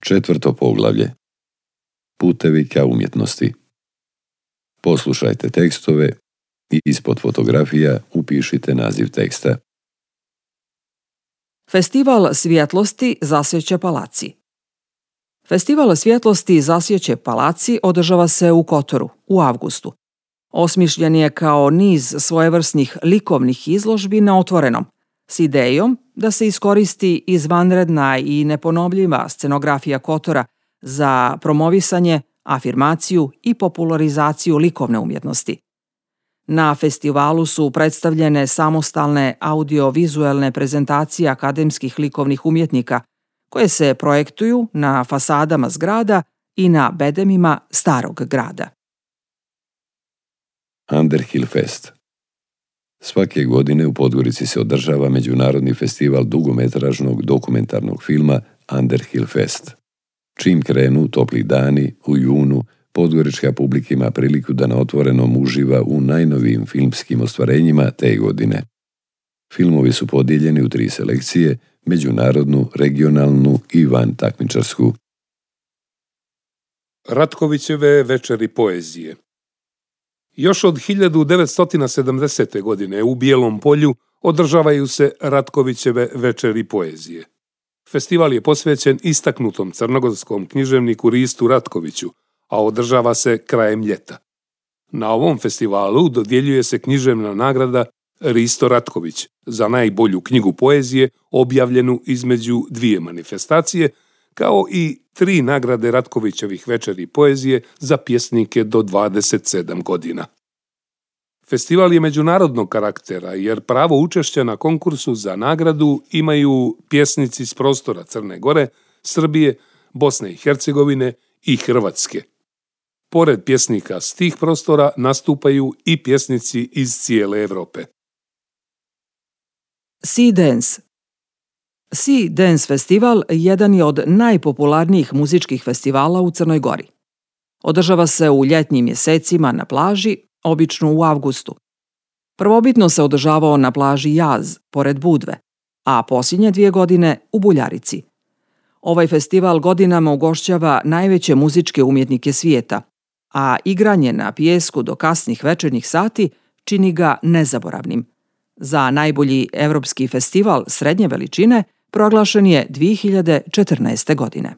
4. poglavlje. Putevi ka umjetnosti. Poslušajte tekstove i ispod fotografija upišite naziv teksta. Festival svjetlosti Zasjeće palaci. Festival svjetlosti Zasjeće palaci održava se u Kotoru u avgustu. Osmišljen je kao niz svojevrsnih likovnih izložbi na otvorenom, s idejom da se iskoristi izvanredna i neponovljiva scenografija Kotora za promovisanje, afirmaciju i popularizaciju likovne umjetnosti. Na festivalu su predstavljene samostalne audio-vizuelne prezentacije akademskih likovnih umjetnika koje se projektuju na fasadama zgrada i na bedemima starog grada. Underhill Fest. Svake godine u Podgorici se održava Međunarodni festival dugometražnog dokumentarnog filma Underhill Fest. Čim krenu topli dani, u junu, podgorička publika ima priliku da na otvorenom uživa u najnovijim filmskim ostvarenjima te godine. Filmovi su podijeljeni u 3 selekcije, međunarodnu, regionalnu i van takmičarsku. Ratkovićeve večeri poezije. Još od 1970. godine u Bijelom Polju održavaju se Ratkovićeve večeri poezije. Festival je posvećen istaknutom crnogorskom književniku Ristu Ratkoviću, a održava se krajem ljeta. Na ovom festivalu dodjeljuje se književna nagrada Risto Ratković za najbolju knjigu poezije objavljenu između 2 manifestacije, kao i 3 nagrade Ratkovićevih večeri poezije za pjesnike do 27 godina. Festival je međunarodnog karaktera jer pravo učešća na konkursu za nagradu imaju pjesnici s prostora Crne Gore, Srbije, Bosne i Hercegovine i Hrvatske. Pored pjesnika s tih prostora nastupaju i pjesnici iz cijele Europe. Sea Dance. Sea Dance festival jedan je od najpopularnijih muzičkih festivala u Crnoj Gori. Održava se u ljetnim mjesecima na plaži, obično u avgustu. Prvobitno se održavao na plaži Jaz, pored Budve, a posljednje 2 godine u Buljarici. Ovaj festival godinama ugošćava najveće muzičke umjetnike svijeta, a igranje na pijesku do kasnih večernjih sati čini ga nezaboravnim. Za najbolji evropski festival srednje veličine proglašen je 2014. godine.